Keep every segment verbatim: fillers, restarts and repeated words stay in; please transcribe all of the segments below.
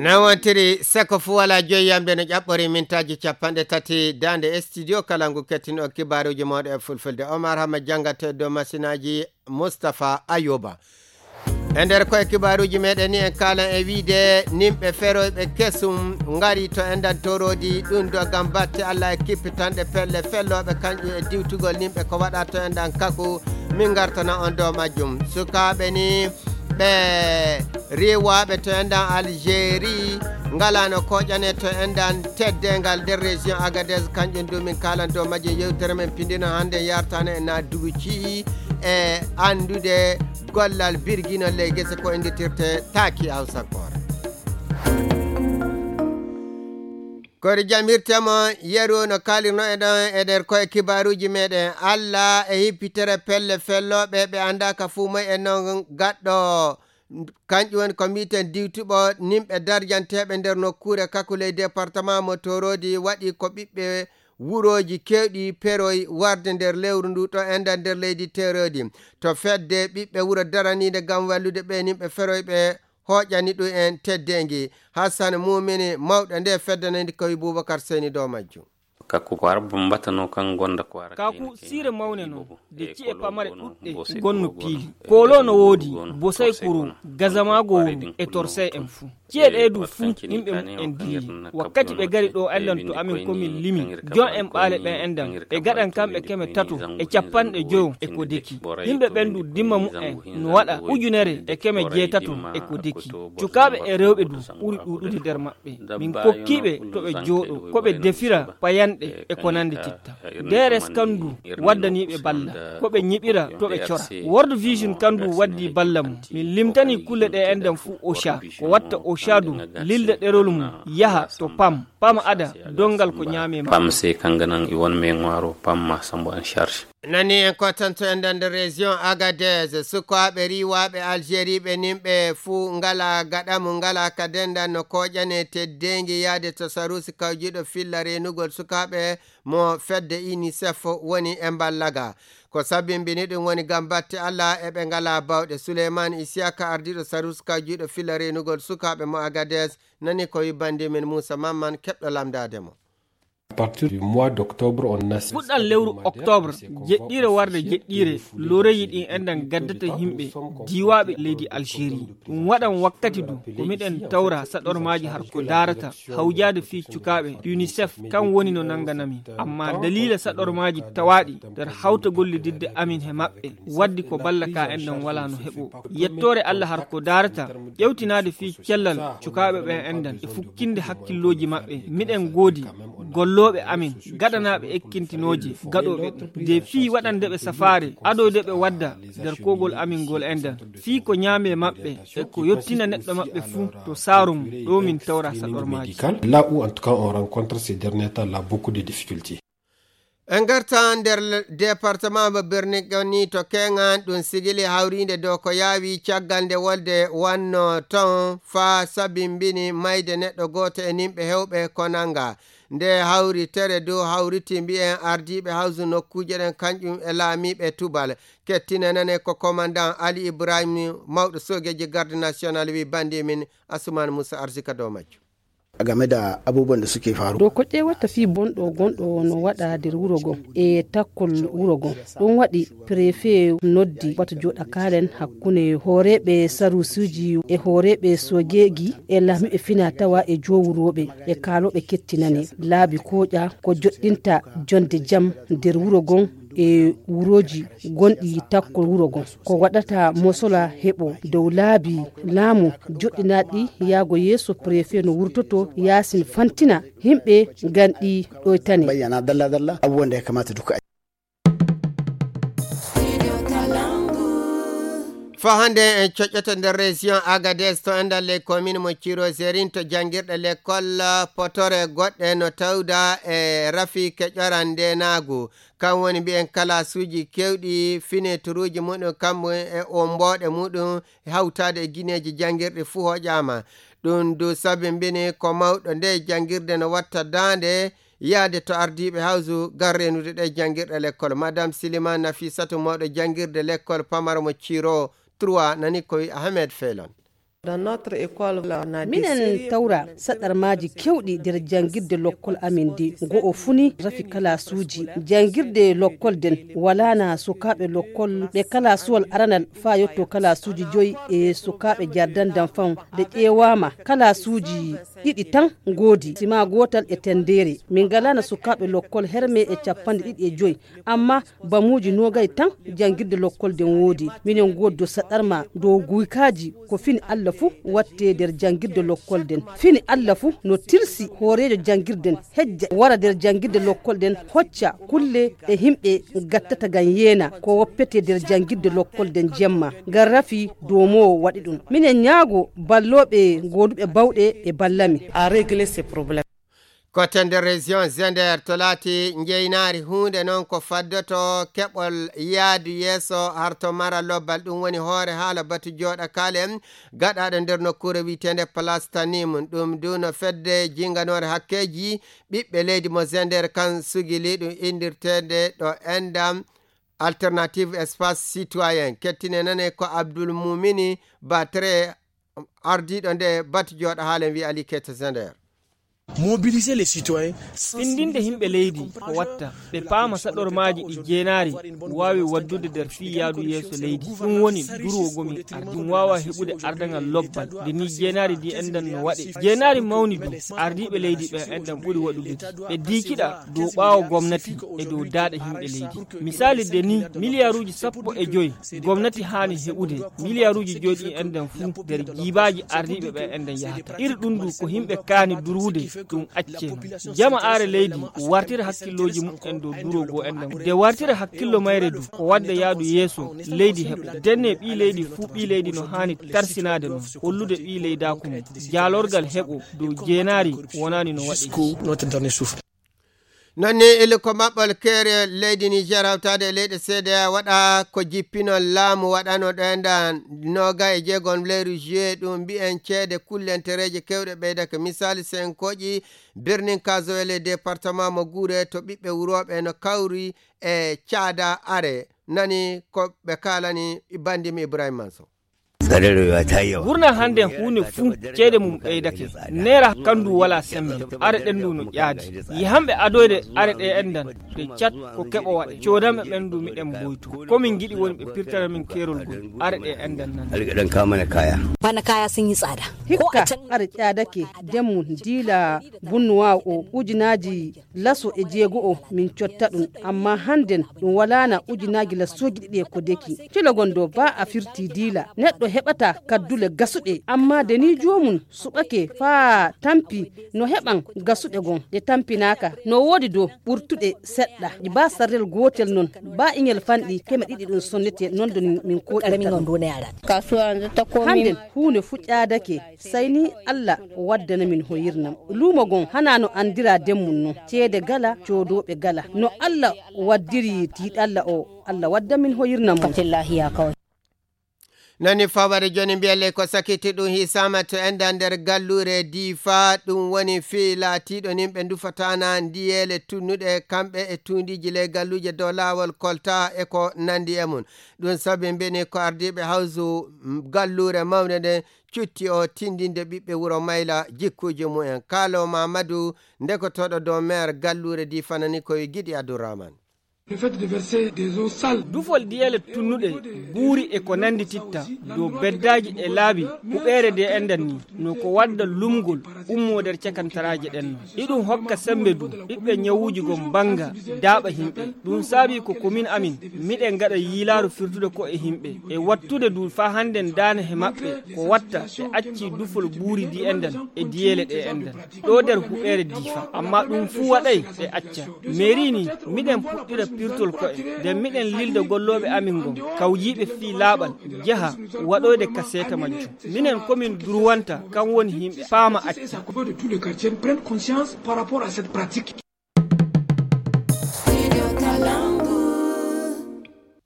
Nawantiri seko fu wala joyi yamde no ƴaɓɓori mintaaji capanɗe tati daande e studio kala ngu kettin on kibaaruuji mawɗo e fulfulde. Omar Hama janngatee dow masinaaji Mustapha Ayuba. E nder koye kibaaruuji meɗen ni en kaalan e wiide nimɓe feroyɓe kesum ngari to enɗan toroodi ɗum do ngam batte Allah e kippitanɗe pelle fellooɓe kanƴum e diwtugol nimɓe ko waɗa to enɗan kaku. Min ngartana on dow majjum. Sukaaɓe ni ɓe riiwaaɓe to enɗan Algérie ngalano koƴane to enɗan teddeengal nder région Agadez, kanƴum du min kaalan dow majjum. Yewtere men pindino hannde yartano e na duuci e anndude gollal birgino ley gese ko innditirte taaki Hawsakoore. Kori jam hirtemo yeru no kaalirno e ɗon e nder koye kibaaruuji meɗen. Allah e hippitere pelle fellooɓe ɓe anndaaka fuu moy e non gaɗɗo. Kanƴum woni ko mbiiten diwtuɓo nimɓe darjanteeɓe nder nokkuure kaku ley département mo Toroodi waɗi ko ɓiɓɓe wurooji keewɗi peroy warde nder lewru ndu ɗo enda nder leydi Toroodi. To fedde ɓiɓɓe wuro daraniinde ngam wallude ɓe nimɓe feroyɓe hooƴani ɗum en teddeengi. Hassan Mumini, mawɗo nde fedde nandi ko wi Bubakar Seyni dow majjum. Ka ko Arab mbatano kan gonda ko ara Kaku siire mawne non, de ci'e pamare ɗuɗɗe gonno piili. Koolo no woodi, bosay kuru, gazamaago wuru e torsay en fuu. Ci'e ɗee du fuu, yimɓe mum en dilli. Wakkati ɓe gari ɗo enɗan to amin ko min limi, jon en ɓaale ɓen enɗan, ɓe gaɗan kamɓe keme tato e capanɗe joyo e ko deki. Yimɓe ɓen du dimma mum en no waɗa ujunere e keme jeetato e ko deki. Cukaaɓe e rewɓe du ɓuri ɗuuɗude nder maɓɓe. Min kokkiiɓe to ɓe jooɗo, ko ɓe defira payanɗe e ko nandi titta. D R S kan du waddaniiɓe balla, ko ɓe ñiɓira to ɓe cora. World Vision kan du waddi balla mum. Min limtani kulle ɗe enɗan fuu Ocha, ko watta Ocha du lilda ɗerol mum yaha to pam, pam ada dongal ko ñaame ma. Pam se kanga nan i won me ŋwaaro pam ma sambo en charge. Nani en kotanto en nder région Agadez, sukaaɓe riiwaaɓe Algérie ɓe nimɓe fuu ngala gaɗamu, ngala ka dendan no koƴane teddeengi yaade to Sarusi kawjiiɗo filla reenugol sukaaɓe mo fedde UNICEF woni e mballaga. Ko sabimbini ɗum woni ngam batte Allah e ɓe ngala bawɗe. Suleyman Isiyaka ardiiɗo Sarusi kawjiiɗo filla reenugol sukaaɓe mo Agadez nani ko wi bandi min Muusa Mamman keɓɗo lamdaade mo. À partir du mois d'octobre, on a Fuɗɗan lewru octobre, jeɗɗiire warde jeɗɗiire, loreji ɗin enɗan gaddata yimɓe diiwaaɓe leydi Algérie. Ɗum waɗan wakkati du ko miɗen tawra saɗormaaji har ko daarata hawjaade fii cukaaɓe. UNICEF kan woni no nanganami, amma daliila saɗormaaji tawaaɗi nder hawta gollididde amin he maɓɓe, waddi ko balla ka enɗan walaa no heɓo. Yettoore Allah har ko daarata ƴewtinaade fii cellal cukaaɓe ɓen enɗan e fukkinde hakkillooji maɓɓe. Miɗen goodi gollooɓe amin gaɗanaaɓe ekkintinooje gaɗooɓe ɗum. De fii waɗande ɓe safaare adoyde ɓe wadda nder kogol amin ngol enɗan. Fii ko ñaame maɓɓe e ko yottina neɗɗo maɓɓe fuu to saaru mum, ɗo min tawra saɗormaaji. Médical, là où en tout cas on rencontre ces derniers temps là beaucoup de difficultés. En ngarta nder le-, département mo Birnin Kebbi to Keŋan, ɗum sigili hawriinde dow ko yaawi caggal nde wolde wanno ton faa sabimbini mayde neɗɗo gooto e nimɓe hewɓe ko nanga. Nde hawritere dow hawriti mbiyen ardiiɓe hawsu nokkuuje ɗen kanƴum e laamiiɓe tubal. Kettinanane ko commandant Ali Ibrahim, mawɗo soogeeji garde national, wi bandi min Asuman Musa Arsika dow majjum. A game da abubuwan da suke faru. Dow ko ƴeewata fii bonɗo gonɗo no waɗa nder wuro gon e takkol wuro gon. Ɗum waɗi prefe noddi wata jooɗa kaalen hakkunde hooreeɓe sarusuuji e hooreeɓe soojeeji e laamiiɓe fina tawa e joowurooɓe e kaalooɓe kettinane laabi kooƴa ko joɗɗinta jonde jam nder wuro gon e wurooji gonɗi takkol wuro gon. Ko waɗata mosola heɓo dow laabi laamu joɗɗinaaɗi yaago yeeso prefe no wurtoto yaasin fantina himɓe nganɗi ɗoytane. Bayyana dalla dalla abubuwan da ya kamata duka a yi. Fa hannde en coƴƴoto nder région Agadez to enɗan ley commune mo Ciro Zerin to janngirɗe l'école potore goɗɗe no tawda e rafi keƴoran ndenaagu. Kan woni mbiyen kalaasuuji keewɗi fineturuuji muɗum kammu e ommbooɗe muɗum e hawtaade e gineeji janngirɗi fuu hoƴaama. Ɗum du sabimbini ko mawɗo nde janngirde no watta daande yaade to ardiiɓe hawsu ngam reenude ɗe janngirɗe lekkol. Madame Silima Nafisatu mawɗo janngirde lekkol pamaro mo Ciro trois nani ko wi Ahmed Felon. Minen tawra saɗarmaaji keewɗi nder janngirde lokkol amin ndi. Go'o fuu ni rafi kalaasuuji. Janngirde lokkol nden walaana sukaaɓe lokkol ɓe kalaasuwal aranal faa yotto kalaasuuji joyi e sukaaɓe jardan danfan. Nde ƴeewaama kalaasuuji ɗiɗi tan ngoodi, sima gootal e tenndeere. Min ngalaana sukaaɓe lokkol herme e cappanɗe ɗiɗi e joyi. Amma bamuuji noogay tan janngirde lokkol nden woodi. Minen ngoodi dow saɗarma dow guykaaji ko fini Alla fuu wattee nder janngirde lokkol nden. Fini Alla fuu no tilsi hooreejo janngirden hejja wara nder janngirde lokkol nden hocca kulle ɗe himɓe gattata ngam yeena ko woppetee nder janngirde lokkol nden jemma. Ngam rafi doomoowo waɗi ɗum. Minen ñaago ballooɓe gooduɓe bawɗe ɓe balla min. Kote nder région Zender to laati njeynaari huunde noon ko faddoto keɓol yaadu yeeso harto mara lobbal, ɗum woni hoore haala batu jooɗakaale gaɗaaɗo nder nokkuure wiyeteende Place Tanim. Ɗum duuno fedde jinganoore hakkeeji ɓiɓɓe leydi mo Zender kan sugili ɗum inndirteende ɗo Endam Alternative Espace Citoyen. Kettine nane ko Abdoul Moumini Batre, ardiiɗo nde batu jooɗa haalen wi Ali Keita Zender. Mobiliser les citoyens. Findinde himɓe leydi ko watta ɓe paama saɗormaaji ɗi jeenaari waawi waddude nder fii yaadu yeeso leydi. Ɗum woni durwogol min ardi. Ɗum waawa heɓude ardaŋal lobbal nde ni jeenaari ndi enɗan no waɗe. Jeenaari mawni du ardiiɓe leydi ɓen enɗan ɓuri waɗude ndi. Ɓe diikiɗa dow ɓaawo gomnati e dow daaɗe himɓe leydi. Misaali nde ni miliyaaruuji sappo e joy gomnati haani heɓude. Miliyaaruuji joy ɗin enɗan fuu nder jiibaaji ardiiɓe ɓen enɗan yahata. Iri ɗum du ko himɓe kaani durwude ɗum accee. Jama aare leydi wartira hakkillooji mumen dow durwogol enɗan. Nde wartira hakkillo mayre du ko wadda yaadu yeeso leydi heɓa. Denne ɓii leydi fuu ɓii leydi no haani tarsinaade non. Hollude ɓii leydaaku mum. Jaalorgal heɓo dow jeenaari wonaani no waɗi. Non ni ili ko maɓɓol keere leydi Niger hawtaade e leyɗe seede waɗa ko jippinol laamu waɗano ɗo enɗan nooga e jeegom leyru juillet ɗum mbiyen ceede kullentereeje kewɗe ɓeydake. Misaali senkooji birnin Kazoel e département mo Guure to ɓiɓɓe wurooɓe no kawri e caada are. Nani ko ɓe kaalani bandimi Ibrahima Manso. Gurna hannde huunde fuu ceede mum ɓeydake. Neera kandu wala sembe. Are ɗen ndu no ƴaadi. Yihanɓe adoyde are ɗe enɗan. Ɗe cat ko keɓo waɗe. Coodanɓe ɓen ndu miɗen mboytu. Ko min ngiɗi woni ɓe pirtana min keerol ngol. Are ɗe enɗan nan. Alga ɗan kamana kaya. Bana kaya sun yi tsada. Hikka are ƴaadake demmu diila bunnuwaawo o ujunaaji laso e jeego o min cotta ɗum. Amma hannden ɗum walaana ujunaaji lasooji ɗiɗi e ko deki. Kilo gon do ba a firti diila neɗɗo heɓata kaddule gasuɗe. Amma de ni joomum suɓake faa tampi no heɓan gasuɗe gon ɗe tampinaaka. No woodi do ɓurtuɗe seɗɗa ba sarrel gootel non. Ba iŋel fanɗi keme ɗiɗi ɗum sonnete non do min koɗirta ɗum. Hannden huunde fu ƴaadake. Sey ni Alla waddana min hoyirnam. Luumo gon hanaa no anndiraa den mum non. Ceede gala, coodooɓe gala. No Alla waddiri tiiɗalla o, Alla wadda min hoyirnam mum. Nani faware joni mbiyalle ko sakiti ɗum hisama to enda nder gallure difa ɗum woni fii laatiɗo nin ɓe ndufataana ndiyeele tunnuɗe kamɓe e tundiiji ley galluje dow laawol kolta e ko nandi e mum. Ɗum sabi mbini ko ardiiɓe hawsu gallure mawnde nden cutti o tindinde ɓiɓɓe wuro mayla jikkuuji mumen. Kaalo Mamadu ndekotooɗo dow meer gallure difanani koye Giɗi Abdurrahman. Dufol diyeele tunnuɗe buuri e ko nandi titta dow beddaaji e laabi huɓeere de endan ni no ko wadda lumgol ummoo nder cakantaraaje ɗen non. Iɗum hokka sembe du ɓiɓɓe ñawuuji gon bannga daaɓa himɓe. Ɗum saabii ko komin amin miɗen ngaɗa yiilaaru firtude ko e himɓe e wattude du faa hannden daane he maɓɓe ko watta ɓe accii dufol buuri di endan e diyeele ɗe endan ɗo nder huɓeere difa. Amma ɗum fuu waɗay ɓe acca meeri ni. Miɗen puɗɗira pirtol ko'e nden miɗen lilda gollooɓe amin ngon kawjiiɓe fii laaɓal jaha waɗoyde ka seeta majjum. Minen komin durwanta kan woni yimɓe paama acca.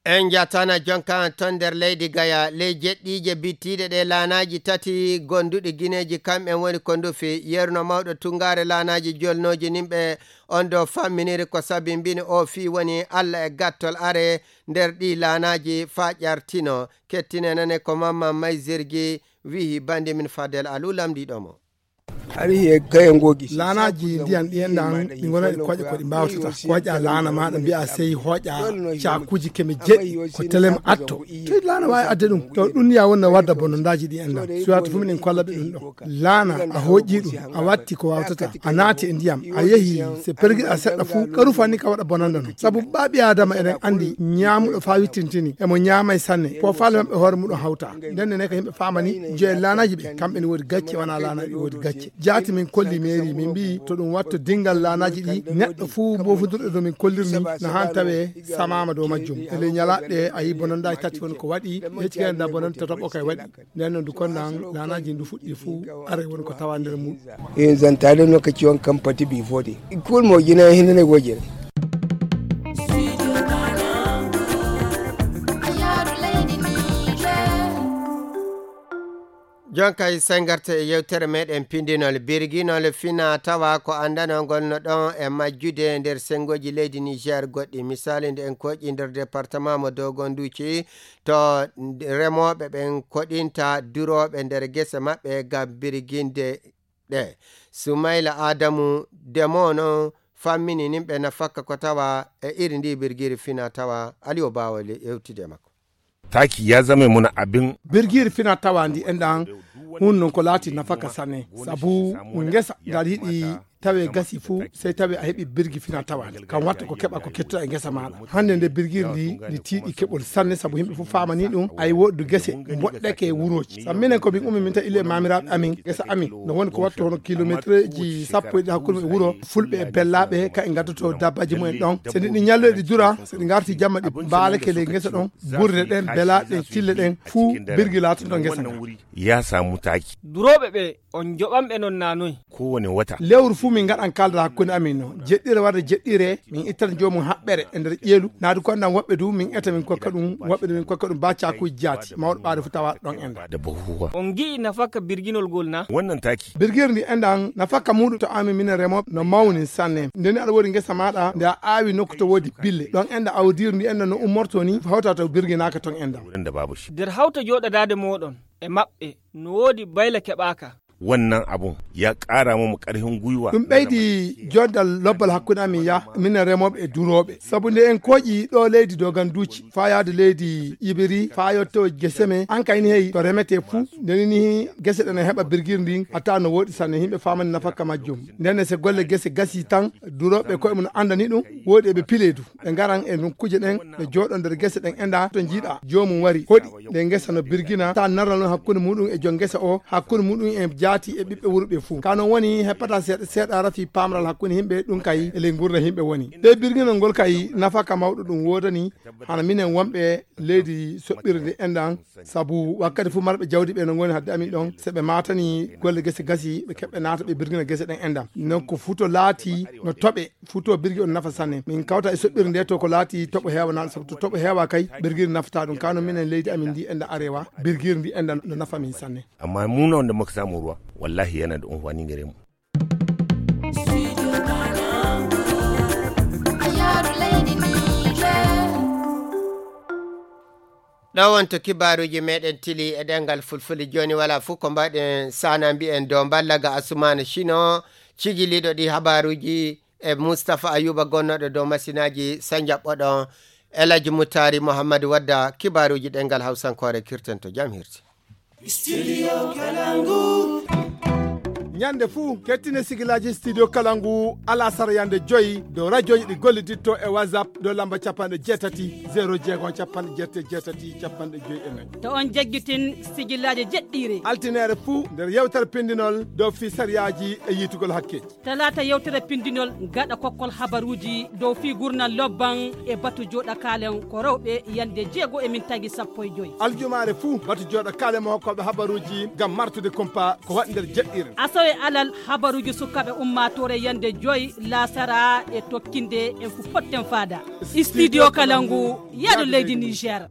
En njatana jonka ton nder leydi gaya ley jeɗɗiije bittiiɗe ɗe laanaaji tati gonduɗi gineeji kamɓen woni ko ndufi. Yerno mawɗo tunngaare laanaaji jolnooji nimɓe on do famminiri ko sabi mbini o fii woni Alla e gattol are nder ɗi laanaaji faa ƴartino. Kettine nane ko mamman maysirgi Wiyi bannde min Fadel Alou lamndiiɗo mo. Hari he kayen gogi. Laanaaji ndiyan ɗi enɗan ɗi ngona ɗi koƴa ko ɗi mbaawtata. Koƴa laana maaɗa mbiya sey hoƴa caakuuji keme jeɗɗi ko telem atto. Toy laana waawi adde ɗum? To ɗum ya wonna wadda bonondaaji ɗi enɗan. Suwata fu minen kolla ɓe ɗum ɗo. Laana a hoƴi ɗum, a watti ko wawtata, a naati e ndiyam, a yehi, se pergiɗa seɗɗa fu ka rufa ni ka waɗa bonanda non. Sabu ɓaaɓi Adama eɗen andi ñaamuɗo faa wittintini emo ñaamay sanne, po faale maɓɓe hoore muɗum hawta. Nden ne ka yimɓe faamani joye laanaji ɓe kamɓe ne woodi gacce, wana laanaji woodi gacce. Jaati min kolli meeri min mbi to ɗum watto dingal laanaji ɗi, neɗɗo fu mbofundirɗo dow min kollirni no han tawe samama dow majjum. E ley ñalaɗe a yi bonondaji tati woni ko waɗi, hecci kadi nda bononda tataɓo kay waɗi. Nden no ndu konnan laanaji ndu fuɗɗi fu, are woni ko tawa nder muɗum. E zantare no ka ciwon kan pati bi fode. Kul mo gina hinne ne gojere. Jon kay sengarte e yewtere meɗen pindinol birginol fina tawa ko andanol ngol no ɗon e majjude nder sengoji leydi Niger goɗɗi. Misali nde en koƴi nder département mo Dogon Duci, to remoɓe ɓen koɗinta duroɓe nder gese maɓɓe ngam birginde ɗe. Sumayla Adamu Demo no fammini nimɓe nafakka ko tawa e iri ndi birgiri fina tawa. Aliyo Bawo le yewtide makko. Taki ya zame muna abin. Birgiri fina tawa ndi enɗan hun non ko laati nafaka sane. Sabu ngesa ngal yiɗi tawe gasi fu, sey tawe a heɓi birgi fina tawa ndi. Kam watta ko keɓa ko kettuɗa e ngesa maɗa. Hannde nde birgiri ndi, ndi tiiɗi keɓol sanne sabu yimɓe fu faamani ɗum. Ay woɗdu gese mboɗɗeke e wurooji. Sabu minen ko min ummi min ta ile e mamiraaɓe amin, gesa amin. No woni ko wattu hono kilometreji sappo e ɗiɗi hakkunde e wuro. Fulɓe e bellaaɓe ka e ngaddoto dabbaji mumen ɗon. Se ɗi, ɗi ñalloy ɗi dura, se ɗi ngarti jamma ɗi mbaalake ley ngesa ɗon. Burde ɗen, belaaɗe ɗen, tille ɗen, fuu birgi laatanto ngesa ngan. Ya samu taki. Durooɓe ɓe, on joɓan ɓe non na noy? Kowane wata. Lewru fuu min ngaɗan kaldal hakkunde amin no. Jeɗɗire warde jeɗɗire, min ittan joomum haɓɓere e nder ƴeelu. Naadu ko andan woɓɓe du, min eta min kokka ɗum, woɓɓe du min kokka ɗum ba caakuuji jaati. Mawɗo ɓaade fu tawa ɗon enda. Da bahuwa. On ngi'i nafakka birginol gol na? Wannan taki. Birgiri ndi endan nafakka muɗum to amin minen remooɓe no mawni sanne. Ndeni aɗa woodi ngesa maɗa, nde a aawi nokku to woodi bille. Ɗon enda awdiiri ndi enda no ummorto ni, hawta to birginaaka ton enda. Wurin da babu shi. Nder hawta jooɗadaade mooɗon e maɓɓe, no woodi bayla keɓaaka. Wannan abun ya ƙara mu ƙarfin gwiwa. Ɗum ɓeydi jondal lobbal hakkunde amin ya, minen remooɓe e durooɓe. Sabu nde en koƴi ɗo leydi Doganduuci, faa yaade leydi Ibiri, faa yotto gese men, an kay ni hey, to remete fuu, ndeni ni gese ɗen e heɓa birgiri ndin, hatta no woɗi sanne, yimɓe faamani nafakka majjum. Nden se golle gese gasi tan, durooɓe koye mum andani ɗum, woodi e ɓe pile du. Ɓe ngaran e nokkuuje ɗen, ɓe jooɗo nder gese ɗen enda, to jiiɗa, joomum wari, hoɗi, nde ngesa no birgina, ta narral non hakkunde muɗum e jom ngesa o, hakkunde muɗum e jaati e ɓiɓɓe wuro ɓe fuu. Ka non woni heppata seeɗa, seeɗa rafi paamral hakkunde yimɓe, ɗum kay e ley ngurda yimɓe woni. Nde birginol ngol kay nafaka mawɗo ɗum woodani, hana minen wonɓe leydi soɓɓirde enɗan, sabu wakkati fuu marɓe jawdi ɓe no ngoni hadde amin ɗon, se ɓe maatani golle gese gasi, ɓe keɓɓe naata ɓe birgina gese ɗen enɗan. Non ko futo laati no toɓe, futo birgi on nafa sanne. Min kawta e soɓɓirde nde to ko laati toɓo heewa naata, sabu to toɓo heewa kay, birgiri nafata ɗum. Kano minen leydi amin ndi enɗan arewa, birgiri ndi enɗan no nafa min sanne. Amma mu na wanda muka samu ruwa, wallahi yana da amfani gare mu. Ɗo wonto kibaaruuji meɗen tili e ɗemngal fulfulde. Jooni wala fof ko mbaɗen sana mbiyen dow mballaga Asumaana Sino, cigiliiɗo ɗi habaaruuji, e Mustapha Ayuba gonnooɗo dow masinaaji. Sa njaɓɓoɗon El Hadji Mutari Muhammad Wadda, kibaaruuji ɗemngal Hawsankoore kirten to jam hirti. Studio Kalangu. Ñande fuu, kettine sigilaaji Studio Kalangu, alasara yande joyi, dow rajooji ɗi golliditto e WhatsApp, dow lamba capanɗe jeetati, zero jeego, capanɗe jeetati, capanɗe joyi e nayi. To on jaggitin sigilaaji jeɗɗiire. Altineere fuu, nder yewtere pindinol, dow fii sariyaaji e yiitugol hakkeeji. Talaata yewtere pindinol gaɗa kokkol habaruuji dow fii gurnal lobban e batu jooɗa kaalen ko rewɓe yande jeego e min tagi sappo e joyi. Aljumaare fuu batu jooɗa kaalen mo hokkooɓe habaruuji ngam martude kumpa ko waɗi nder jeɗɗiire. Asawe alal habaruuji sukaaɓe ummaatoore yande joyi laasara e tokkinde en fu potten faada. Studio Kalangu, yaadu leydi Niger.